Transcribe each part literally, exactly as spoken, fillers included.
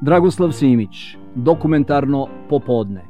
Dragoslav Simić, dokumentarno popodne.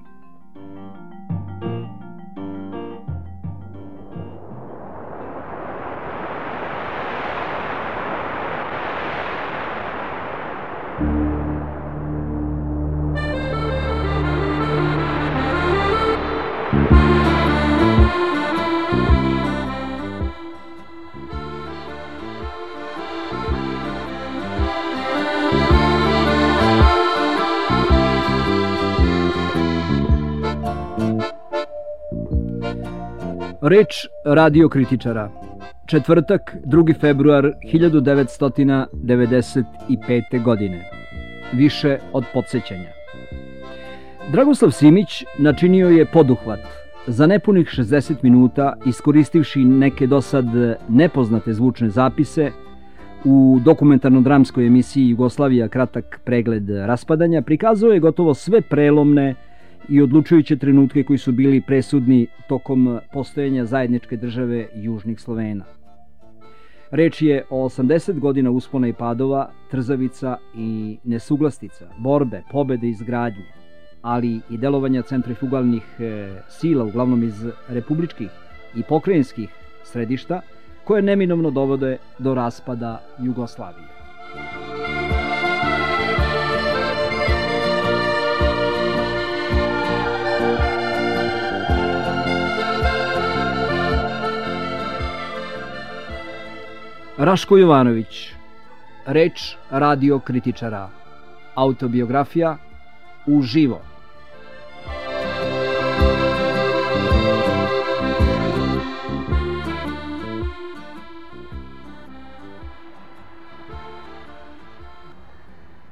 Reč radiokritičara. Četvrtak, drugi februar hiljadu devetsto devedeset pete. godine. Više od podsjećanja. Dragoslav Simić načinio je poduhvat. Za nepunih šezdeset minuta, iskoristivši neke dosad nepoznate zvučne zapise, u dokumentarno-dramskoj emisiji Jugoslavija kratak pregled raspadanja prikazao je gotovo sve prelomne i odlučujuće trenutke koji su bili presudni tokom postojanja zajedničke države Južnih Slovena. Reč je o osamdeset godina uspona i padova, trzavica i nesuglastica, borbe, pobede i izgradnje, ali i delovanja centrifugalnih sila, uglavnom iz republičkih i pokrajinskih središta, koje neminovno dovode do raspada Jugoslavije. Raško Jovanović. Reč radiokritičara. Autobiografija uživo.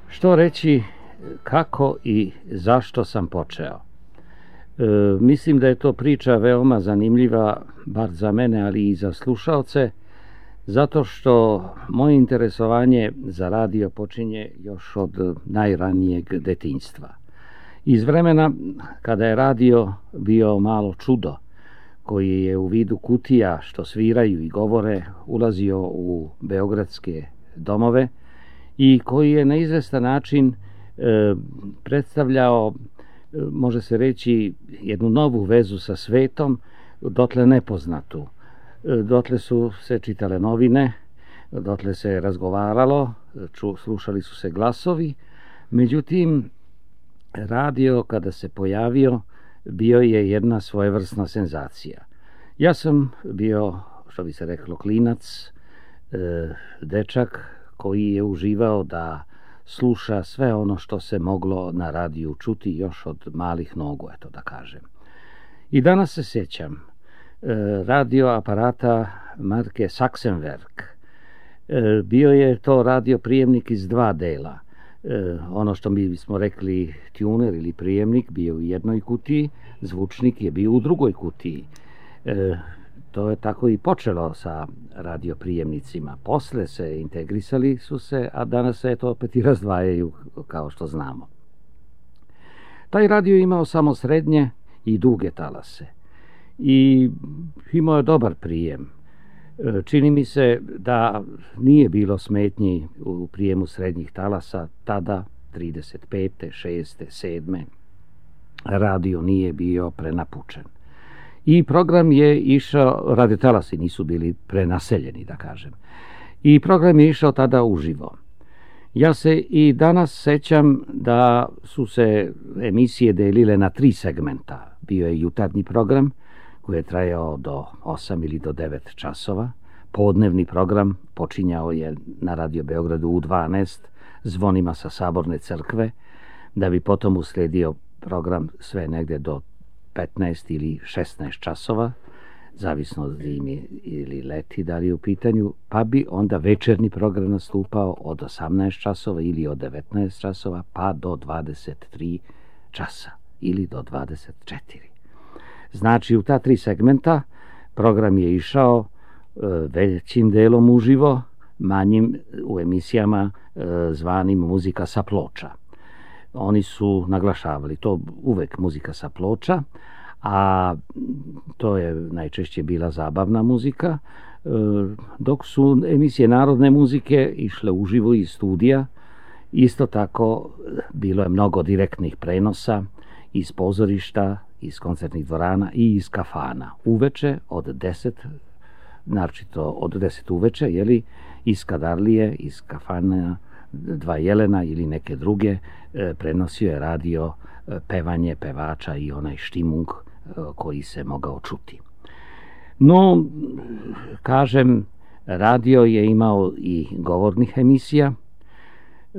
Što reći, kako i zašto sam počeo? E, mislim da je to priča veoma zanimljiva, bar za mene, ali i za slušaoce, zato što moje interesovanje za radio počinje još od najranijeg detinjstva. Iz vremena kada je radio bio malo čudo, koji je u vidu kutija što sviraju i govore ulazio u beogradske domove i koji je na izvestan način e, predstavljao, može se reći, jednu novu vezu sa svetom, dotle nepoznatu. Dotle su se čitale novine, dotle se razgovaralo, ču, slušali su se glasovi. Međutim, radio kada se pojavio bio je jedna svojevrsna senzacija. Ja sam bio, što bi se reklo, klinac, e, dečak koji je uživao da sluša sve ono što se moglo na radiju čuti još od malih nogu, eto da kažem. I danas se sjećam radio aparata marke Sachsenwerk. Bio je to radio prijemnik iz dva dela. Ono što mi bismo rekli tuner ili prijemnik bio u jednoj kutiji, zvučnik je bio u drugoj kutiji. To je tako i počelo sa radioprijemnicima. Posle se integrisali su se, a danas se to opet i razdvajaju, kao što znamo. Taj radio imao samo srednje i duge talase. I imao je dobar prijem. Čini mi se da nije bilo smetnji u prijemu srednjih talasa tada, trideset pete, šeste, sedme. Radio nije bio prenapučen. I program je išao, radiotalasi nisu bili prenaseljeni, da kažem. I program je išao tada uživo. Ja se i danas sećam da su se emisije delile na tri segmenta. Bio je jutarnji program, koji je trajao do osam ili do devet časova. Podnevni program počinjao je na Radio Beogradu u dvanaest zvonima sa Saborne crkve, da bi potom usledio program sve negde do petnaest ili šesnaest časova, zavisno od zime ili leti da li je u pitanju, pa bi onda večernji program nastupao od osamnaest časova ili od devetnaest časova pa do dvadeset tri časa ili do dvadeset četiri. Znači, u ta tri segmenta program je išao e, većim delom uživo, manjim u emisijama e, zvanim muzika sa ploča. Oni su naglašavali to uvek muzika sa ploča, a to je najčešće bila zabavna muzika, e, dok su emisije narodne muzike išle uživo iz studija Isto tako bilo je mnogo direktnih prenosa iz pozorišta, iz koncertnih dvorana i iz kafana. Uveče od deset, naročito od deset uveče, jeli, iz Skadarlije, iz kafana Dva jelena ili neke druge, prenosio je radio pevanje pevača i onaj štimung koji se mogao čuti. No, kažem, radio je imao i govornih emisija. E,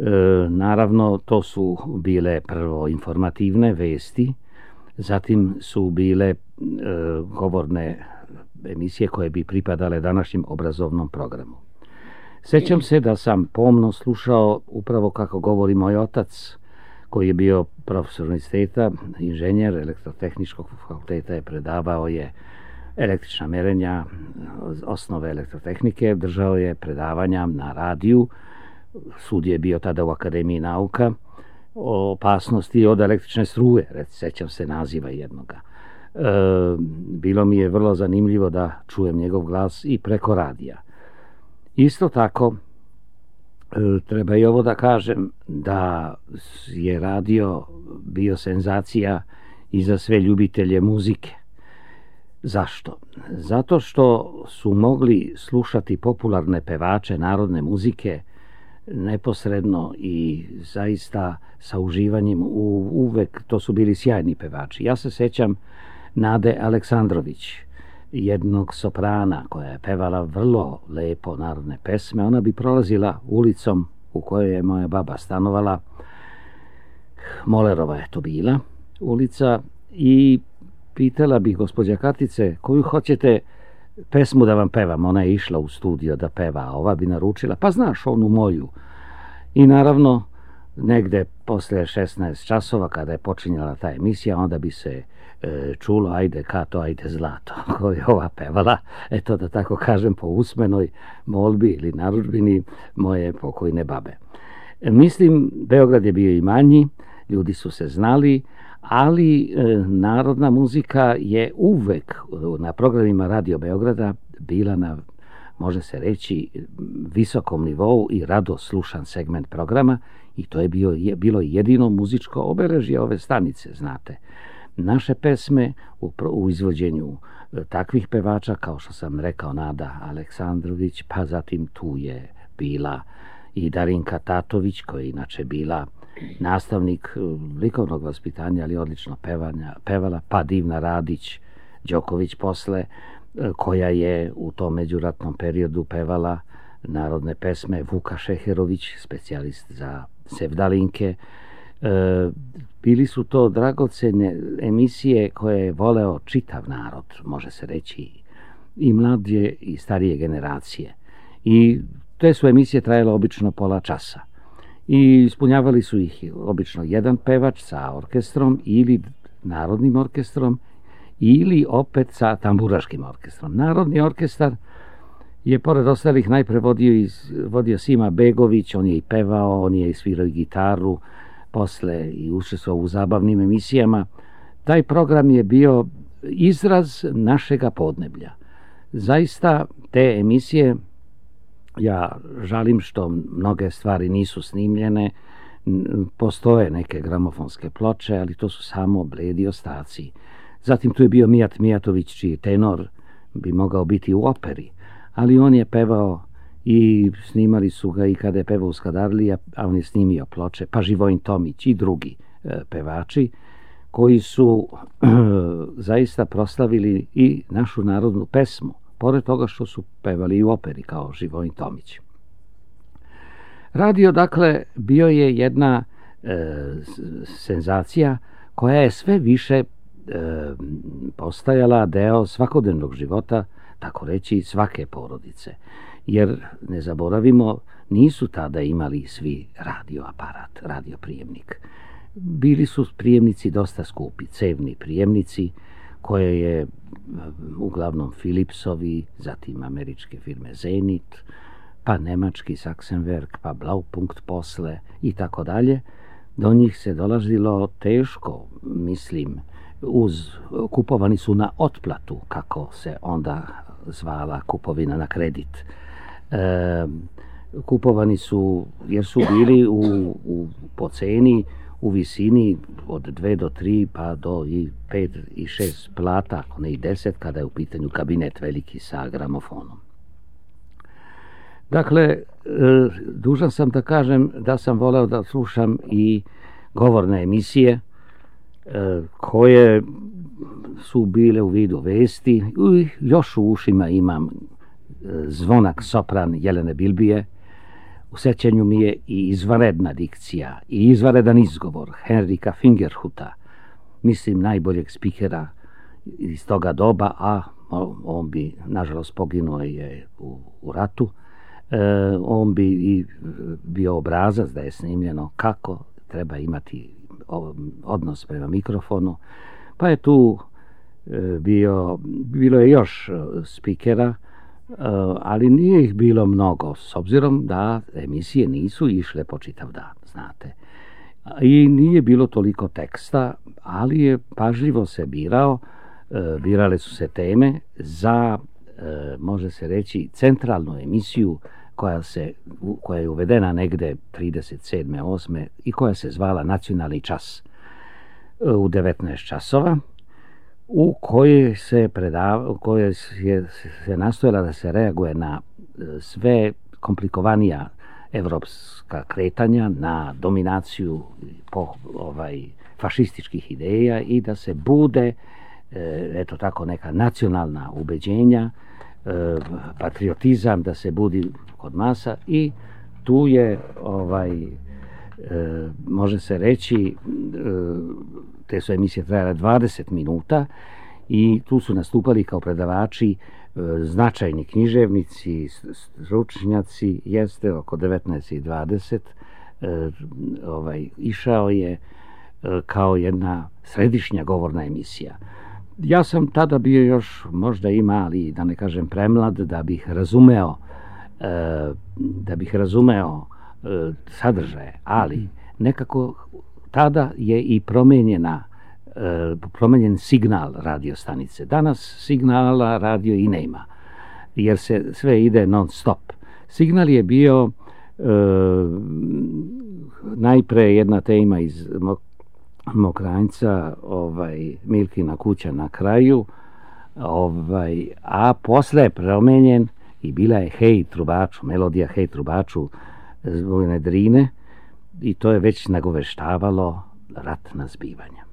naravno, to su bile prvo informativne vesti, zatim su bile e, govorne emisije koje bi pripadale današnjem obrazovnom programu. Sećam se da sam pomno slušao upravo kako govori moj otac, koji je bio profesor univerziteta, inženjer elektrotehničkog fakulteta, je predavao je električna merenja, osnove elektrotehnike, držao je predavanja na radiju. Sud je bio tada u Akademiji nauka o opasnosti od električne struje, sećam se naziva jednoga. E, bilo mi je vrlo zanimljivo da čujem njegov glas i preko radija. Isto tako, e, treba i ovo da kažem, da je radio bio senzacija i za sve ljubitelje muzike. Zašto? Zato što su mogli slušati popularne pevače narodne muzike neposredno i zaista sa uživanjem. U, uvek to su bili sjajni pevači. Ja se sećam Nade Aleksandrović, jednog soprana koja je pevala vrlo lepo narodne pesme. Ona bi prolazila ulicom u kojoj je moja baba stanovala. Molerova je to bila ulica i pitala bih gospođa Katice, koju hoćete pesmu da vam pevam? Ona je išla u studio da peva, a ova bi naručila, pa znaš onu moju. I naravno, negde posle šesnaest časova, kada je počinjala ta emisija, onda bi se e, čulo ajde Kato, ajde zlato, koju je ova pevala, eto da tako kažem, po usmenoj molbi ili narudžbini moje pokojne babe. E, mislim, Beograd je bio i manji, ljudi su se znali, ali e, narodna muzika je uvek na programima Radio Beograda bila na, može se reći, visokom nivou i rado slušan segment programa, i to je, bio, je bilo jedino muzičko obeležje ove stanice, znate. Naše pesme u, u izvođenju e, takvih pevača, kao što sam rekao, Nada Aleksandrović, pa zatim tu je bila i Darinka Tatović, koja je inače bila nastavnik likovnog vaspitanja, ali odlično pevanja, pevala, pa Divna Radić Đoković posle, koja je u tom međuratnom periodu pevala narodne pesme, Vuka Šeherović, specijalist za sevdalinke. E, bili su to dragocene emisije koje je voleo čitav narod, može se reći, i mlađe i starije generacije. I te su emisije trajale obično pola časa. I ispunjavali su ih obično jedan pevač sa orkestrom ili narodnim orkestrom ili opet sa tamburaškim orkestrom. Narodni orkestar je pored ostalih najpre vodio, iz, vodio Sima Begović, on je i pevao, on je i svirao i gitaru, posle i učestvovao u zabavnim emisijama. Taj program je bio izraz našega podneblja. Zaista te emisije, ja žalim što mnoge stvari nisu snimljene, postoje neke gramofonske ploče, ali to su samo bledi ostaci. Zatim tu je bio Mijat Mijatović, čiji tenor bi mogao biti u operi, ali on je pevao i snimali su ga i kada je pevao u Skadarliji, a on je snimio ploče, pa Živojin Tomić i drugi e, pevači koji su e, zaista proslavili i našu narodnu pesmu, pored toga što su pevali i u operi kao Živojin Tomić. Radio, dakle, bio je jedna e, senzacija koja je sve više e, postajala deo svakodnevnog života, tako reći, svake porodice. Jer, ne zaboravimo, nisu tada imali svi radioaparat, radioprijemnik. Bili su prijemnici dosta skupi, cevni prijemnici, koje je uglavnom Philipsovi, zatim američke firme Zenit, pa nemački Sachsenwerk, pa Blaupunkt posle i tako dalje. Do njih se dolazilo teško, mislim, uz, kupovani su na otplatu, kako se onda zvala kupovina na kredit. E, kupovani su, jer su bili u, u, po ceni u visini od dve do tri pa do i pet i šest plata, ako ne i deset, kada je u pitanju kabinet veliki sa gramofonom. Dakle, dužan sam da kažem da sam voleo da slušam i govorne emisije koje su bile u vidu vesti. Još u ušima imam zvonak sopran Jelene Bilbije. U sećanju mi je i izvanredna dikcija i izvanredan izgovor Henrika Fingerhuta, mislim najboljeg spikera iz toga doba, a on bi, nažalost, poginuo je u, u ratu. E, on bi i bio obrazac da je snimljeno kako treba imati odnos prema mikrofonu. Pa je tu bio, bilo je još spikera, ali nije ih bilo mnogo, s obzirom da emisije nisu išle po čitav dan, znate. I nije bilo toliko teksta, ali je pažljivo se birao, birale su se teme za, može se reći, centralnu emisiju koja, se, koja je uvedena negde trideset sedme osme i koja se zvala Nacionalni čas u devetnaest časova, u kojoj se predava, u kojoj je se nastojala da se reaguje na sve komplikovanija evropska kretanja, na dominaciju po, ovaj, fašističkih ideja i da se bude, eto tako, neka nacionalna ubeđenja, patriotizam da se budi kod masa i tu je, ovaj, može se reći, te su emisije trajale dvadeset minuta i tu su nastupali kao predavači značajni književnici, stručnjaci, jeste oko devetnaest i dvadeset, ovaj, išao je kao jedna središnja govorna emisija. Ja sam tada bio još možda i mali, da ne kažem premlad, da bih razumeo da bih razumeo sadržaje, ali nekako tada je i promenjena promenjen signal radio stanice. Danas signala radio i nema, jer se sve ide non stop. Signal je bio e, najpre jedna tema iz Mokranjca, ovaj, Milkina kuća na kraju, ovaj, a posle je promenjen i bila je Hej trubaču, melodija Hej trubaču Vojne Drine, i to je već nagoveštavalo ratna zbivanja.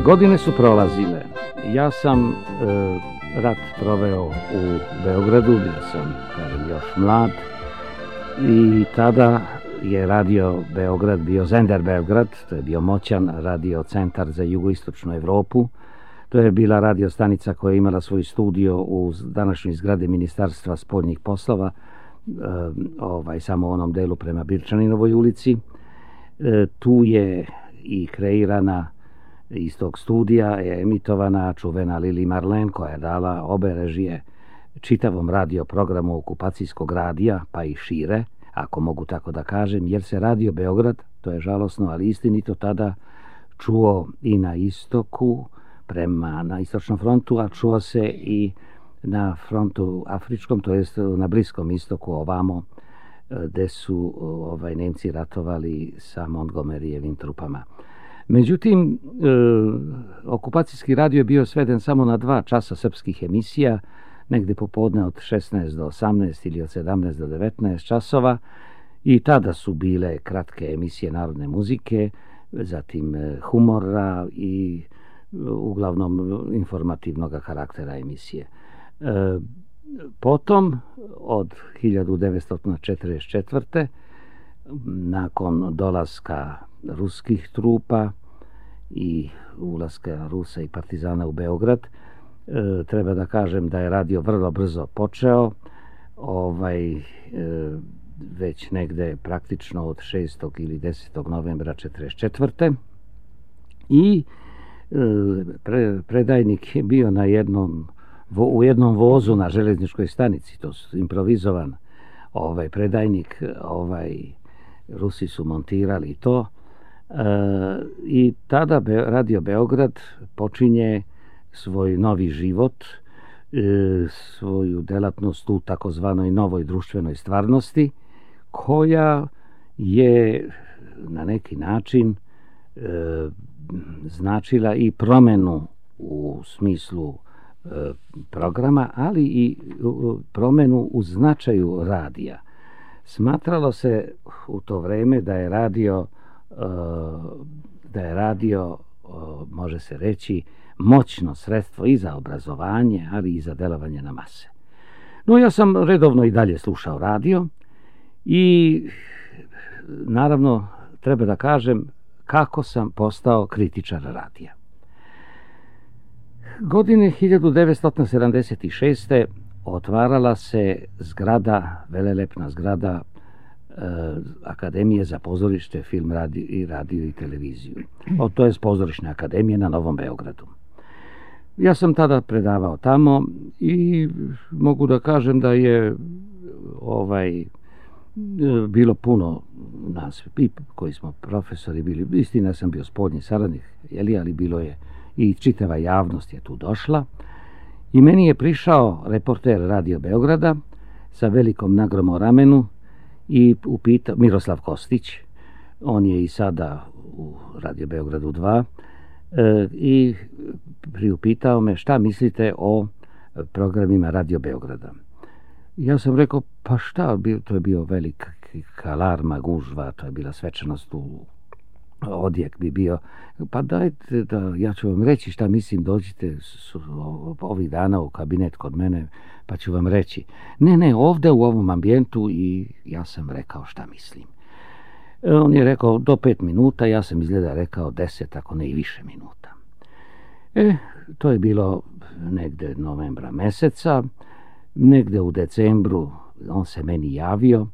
Godine su prolazile. Ja sam e, rat proveo u Beogradu, bio sam, kažem, još mlad, i tada je radio Beograd bio Zender Beograd, to je bio moćan radio centar za jugoistočnu Evropu. To je bila radio stanica koja je imala svoj studio u današnjoj zgradi Ministarstva spoljnih poslova, e, ovaj, samo u onom delu prema Birčaninovoj ulici. E, tu je i kreirana, iz tog studija je emitovana čuvena Lili Marlen, koja je dala obe režije čitavom radio programu okupacijskog radija, pa i šire, ako mogu tako da kažem, jer se radio Beograd, to je žalosno, ali istinito, tada čuo i na istoku, prema na istočnom frontu, a čuo se i na frontu afričkom, to jest na Bliskom istoku, ovamo, gde su ovaj, Nemci ratovali sa Montgomeryjevim trupama. Međutim, e, okupacijski radio je bio sveden samo na dva časa srpskih emisija, negde popodne od šesnaest do osamnaest ili od sedamnaest do devetnaest časova, i tada su bile kratke emisije narodne muzike, zatim humora i uglavnom informativnog karaktera emisije. E, potom, od hiljadu devetsto četrdeset četvrte. nakon dolaska ruskih trupa i ulaska Rusa i partizana u Beograd, e, treba da kažem da je radio vrlo brzo počeo, ovaj, e, već negde praktično od šestog ili desetog novembra četrdeset četvrte. I e, pre, predajnik je bio na jednom, vo, u jednom vozu na železničkoj stanici, to su improvizovan ovaj, predajnik, ovaj, Rusi su montirali to. E, I tada Be, Radio Beograd počinje svoj novi život, e, svoju delatnost u takozvanoj novoj društvenoj stvarnosti, koja je na neki način e, značila i promenu u smislu e, programa, ali i u, promenu u značaju radija. Smatralo se u to vreme da je radio, e, da je radio, e, može se reći, moćno sredstvo i za obrazovanje, ali i za delovanje na mase. No, ja sam redovno i dalje slušao radio i naravno treba da kažem kako sam postao kritičar radija. Godine hiljadu devetsto sedamdeset šeste. otvarala se zgrada, velelepna zgrada e, Akademije za pozorište, film, radio i radio i televiziju. O, to je Pozorišne akademije na Novom Beogradu. Ja sam tada predavao tamo i mogu da kažem da je ovaj bilo puno nas koji smo profesori bili. Istina, sam bio spoljni saradnik, jeli, ali bilo je i čitava javnost je tu došla. I meni je prišao reporter Radio Beograda sa velikom nagrom o ramenu i upitao, Miroslav Kostić, on je i sada u Radio Beogradu dva, e, i priupitao me šta mislite o programima Radio Beograda. Ja sam rekao, pa šta, to je bio velika alarma, gužva, to je bila svečanost, u odjek bi bio. Pa dajte da, ja ću vam reći šta mislim, dođite ovih dana u kabinet kod mene, pa ću vam reći. Ne, ne, ovde u ovom ambijentu, i ja sam rekao šta mislim. On je rekao do pet minuta, ja sam izgleda rekao deset, ako ne i više minuta. E, to je bilo negde novembra meseca. Negde u decembru on se meni javio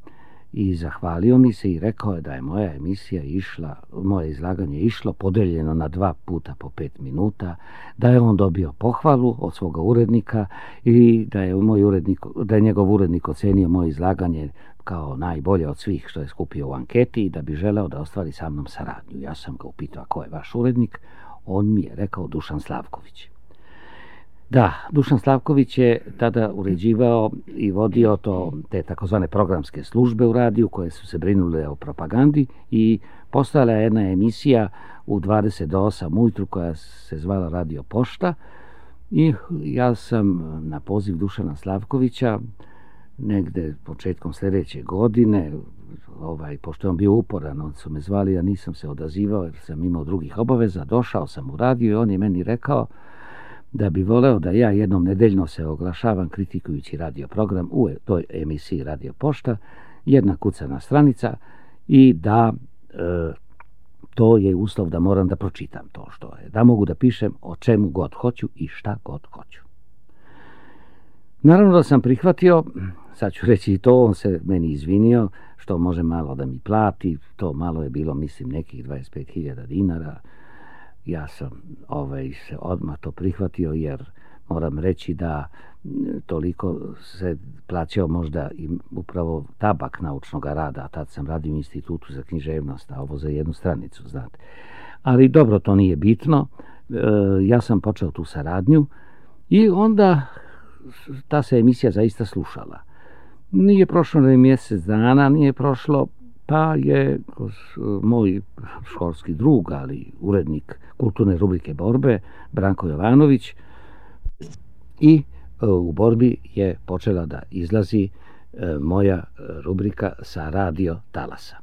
i zahvalio mi se i rekao je da je moja emisija išla, moje izlaganje išlo podeljeno na dva puta po pet minuta, da je on dobio pohvalu od svoga urednika i da je, moj urednik, da je njegov urednik ocenio moje izlaganje kao najbolje od svih što je skupio u anketi i da bi želeo da ostvari sa mnom saradnju. Ja sam ga upitao, a ko je vaš urednik? On mi je rekao Dušan Slavković. Da, Dušan Slavković je tada uređivao i vodio to, te takozvane programske službe u radiju koje su se brinule o propagandi, i postojala je jedna emisija u dvadeset do osam ujutru koja se zvala Radio Pošta, i ja sam na poziv Dušana Slavkovića negde početkom sljedeće godine, ovaj, pošto je on bio uporan, on su me zvali, ja nisam se odazivao jer sam imao drugih obaveza, došao sam u radio i on je meni rekao da bi voleo da ja jednom nedeljno se oglašavam kritikujući radio program u toj emisiji Radio Pošta, jedna kucana stranica, i da e, to je uslov da moram da pročitam to što je, da mogu da pišem o čemu god hoću i šta god hoću. Naravno da sam prihvatio, sad ću reći i to, on se meni izvinio što može malo da mi plati, to malo je bilo, mislim, nekih dvadeset pet hiljada dinara. Ja sam ovaj, se odmah to prihvatio, jer moram reći da toliko se plaćao možda i upravo tabak naučnog rada, a tad sam radio u Institutu za književnost, a ovo za jednu stranicu, znate. Ali dobro, to nije bitno. E, ja sam počeo tu saradnju i onda ta se emisija zaista slušala. Nije prošlo ni mjesec dana, nije prošlo, pa je moj školski drug, ali urednik kulturne rubrike Borbe, Branko Jovanović, i u Borbi je počela da izlazi moja rubrika sa radio talasa.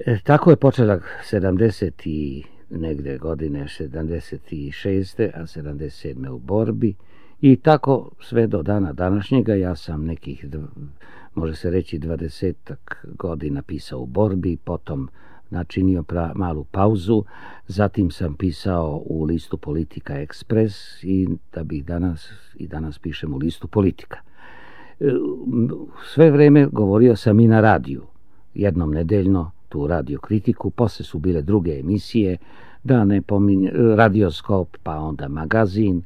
E, tako je počela sedamdeset i negde godine sedamdeset šeste. a sedamdeset sedme u Borbi i tako sve do dana današnjega. Ja sam nekih, može se reći, dvadesetak godina pisao u Borbi, potom načinio pra, malu pauzu, zatim sam pisao u listu Politika Ekspres i da bih danas i danas pišem u listu Politika. Sve vreme govorio sam i na radiju, jednom nedeljno tu radio kritiku, posle su bile druge emisije, da ne pominjem, Radioskop, pa onda magazin,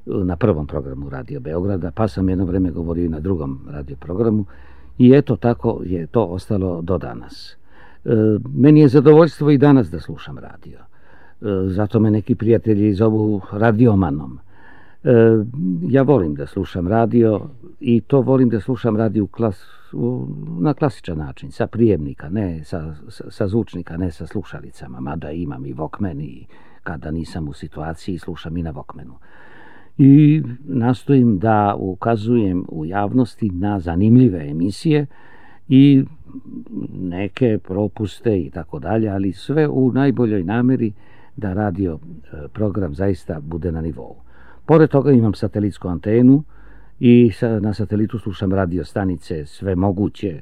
na prvom programu Radio Beograda, pa sam jedno vreme govorio i na drugom radio programu i eto tako je to ostalo do danas. E, meni je zadovoljstvo i danas da slušam radio. E, zato me neki prijatelji zovu radiomanom. E, ja volim da slušam radio i to volim da slušam radio u klas, u, na klasičan način, sa prijemnika, ne sa, sa, sa zvučnika, ne sa slušalicama, mada imam i Walkman i kada nisam u situaciji slušam i na Walkmanu. I nastojim da ukazujem u javnosti na zanimljive emisije i neke propuste i tako dalje, ali sve u najboljoj nameri da radio program zaista bude na nivou. Pored toga imam satelitsku antenu i na satelitu slušam radio stanice sve moguće,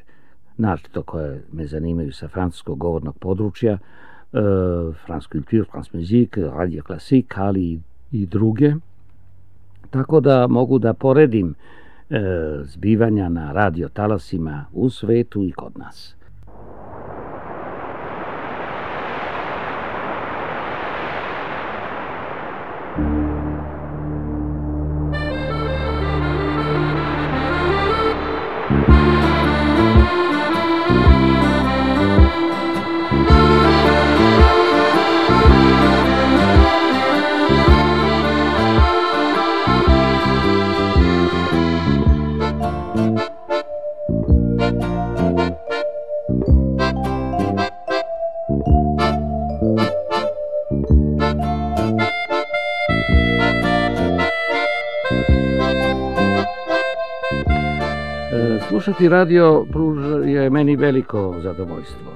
naročito koje me zanimaju sa francuskog govornog područja, France Culture, France Musique, Radio Classique, ali i druge. Tako da mogu da poredim e, zbivanja na radio talasima u svetu i kod nas. Slušati radio je meni veliko zadovoljstvo.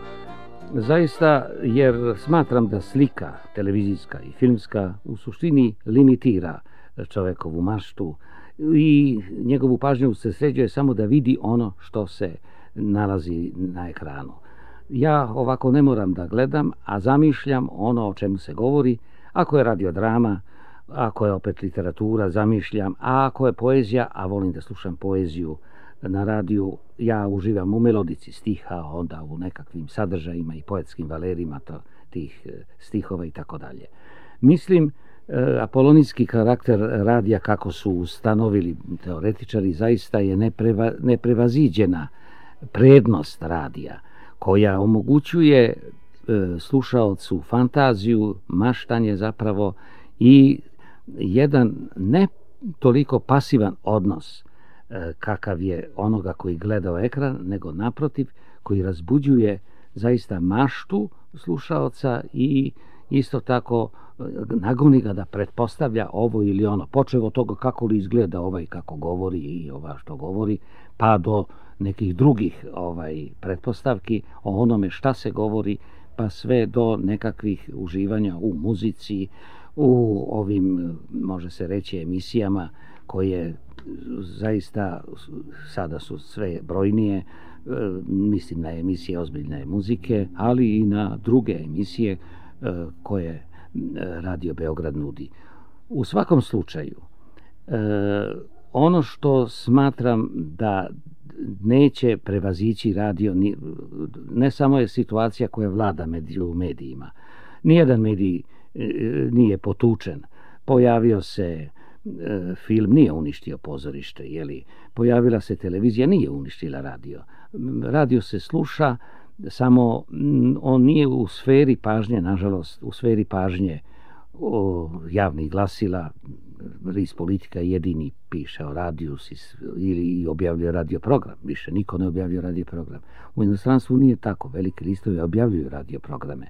Zaista, jer smatram da slika, televizijska i filmska, u suštini limitira čovekovu maštu i njegovu pažnju se sređuje samo da vidi ono što se nalazi na ekranu. Ja ovako ne moram da gledam, a zamišljam ono o čemu se govori. Ako je radiodrama, ako je opet literatura, zamišljam, a ako je poezija, a volim da slušam poeziju na radiju, ja uživam u melodici stiha, onda u nekakvim sadržajima i poetskim valerima to, tih stihova i tako dalje. Mislim, apolonijski karakter radija, kako su ustanovili teoretičari, zaista je nepreva, neprevaziđena prednost radija, koja omogućuje e, slušaocu fantaziju, maštanje zapravo i jedan ne toliko pasivan odnos e, kakav je onoga koji gleda u ekran, nego naprotiv koji razbuđuje zaista maštu slušaoca i isto tako nagoni ga da pretpostavlja ovo ili ono, počev od toga kako li izgleda ovaj kako govori i ova što govori, pa do nekih drugih ovaj pretpostavki o onome šta se govori, pa sve do nekakvih uživanja u muzici, u ovim, može se reći, emisijama koje zaista sada su sve brojnije, mislim na emisije ozbiljne muzike, ali i na druge emisije koje Radio Beograd nudi. U svakom slučaju, ono što smatram da neće prevazići radio, ne samo je situacija koja vlada među medijima. Nijedan medij nije potučen. Pojavio se film, nije uništio pozorište, jeli? Pojavila se televizija, nije uništila radio. Radio se sluša, samo on nije u sferi pažnje, nažalost, u sferi pažnje o, javnih glasila, list Politika jedini piše o radiju ili objavljuje radio program. Više niko ne objavljuje radio program. U inostranstvu nije tako. Veliki listovi objavljuju radio programe.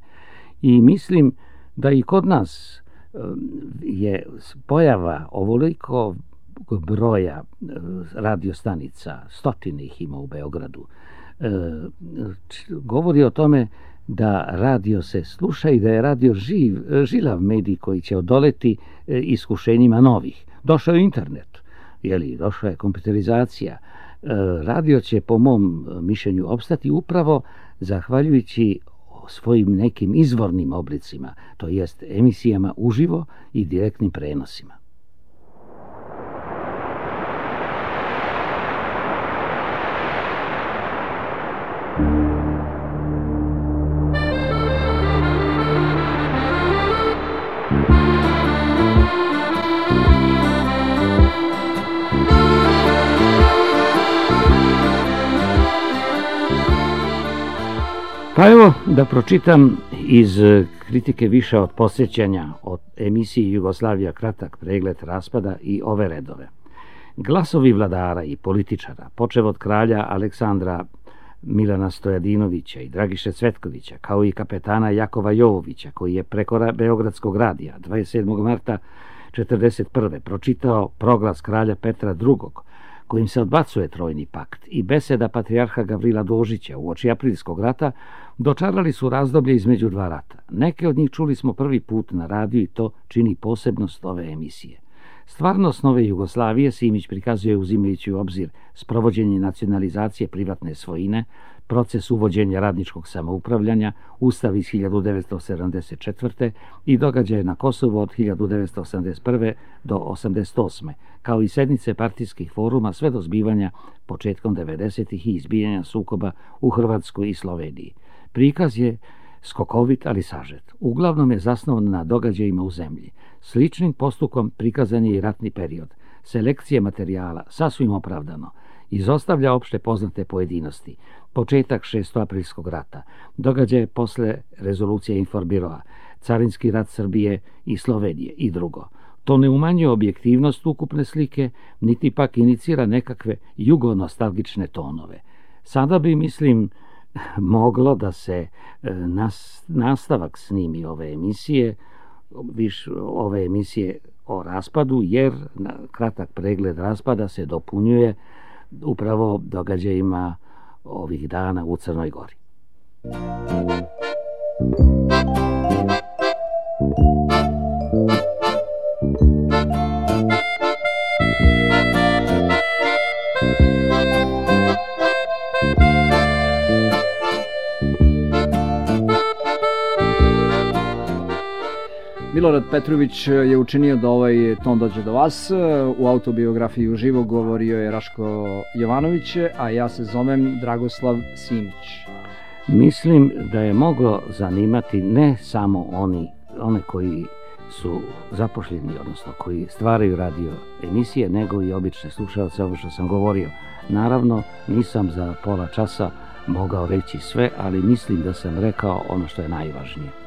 I mislim da i kod nas je pojava ovoliko broja radiostanica, stotine ih ima u Beogradu, govori o tome da radio se sluša i da je radio živ, žilav medij koji će odoleti iskušenjima novih. Došao je internet, jeli, došla je kompjuterizacija. Radio će, po mom mišljenju, opstati upravo zahvaljujući svojim nekim izvornim oblicima, to jest emisijama uživo i direktnim prenosima. Pa evo da pročitam iz kritike više od posjećanja od emisiji Jugoslavija kratak pregled raspada i ove redove. Glasovi vladara i političara, počev od kralja Aleksandra Milana Stojadinovića i Dragiše Cvetkovića, kao i kapetana Jakova Jovovića, koji je preko Beogradskog radija dvadeset sedmog marta četrdeset prve pročitao proglas kralja Petra drugog, kojim se odbacuje trojni pakt, i beseda patrijarha Gavrila Dožića uoči aprilskog rata, dočarali su razdoblje između dva rata. Neke od njih čuli smo prvi put na radiju i to čini posebnost ove emisije. Stvarnost nove Jugoslavije Simić prikazuje uzimajući u obzir sprovođenje nacionalizacije privatne svojine, proces uvođenja radničkog samoupravljanja, Ustav iz hiljadu devetsto sedamdeset četvrte i događaje na Kosovu od hiljadu devetsto osamdeset prve do osamdeset osme, kao i sednice partijskih foruma sve do zbivanja početkom devedesetih i izbijanja sukoba u Hrvatskoj i Sloveniji. Prikaz je skokovit, ali sažet. Uglavnom je zasnovan na događajima u zemlji. Sličnim postupkom prikazan je i ratni period. Selekcija materijala, sasvim opravdano, izostavlja opšte poznate pojedinosti. Početak šestoaprilskog rata, događaje posle rezolucije Inforbiroa, carinski rat Srbije i Slovenije i drugo. To ne umanjuje objektivnost ukupne slike, niti pak inicira nekakve jugonostalgične tonove. Sada bi, mislim, moglo da se nas, nastavak snimi ove emisije, viš, ove emisije o raspadu, jer na kratak pregled raspada se dopunjuje upravo događajima ovih dana u Crnoj Gori. Milorad Petrović je učinio da ovaj ton dođe do vas. U autobiografiji uživo govorio je Raško Jovanović, a ja se zovem Dragoslav Simić. Mislim da je moglo zanimati ne samo oni, one koji su zapošljeni, odnosno koji stvaraju radio emisije, nego i obične slušalce, ovo što sam govorio. Naravno, nisam za pola časa mogao reći sve, ali mislim da sam rekao ono što je najvažnije.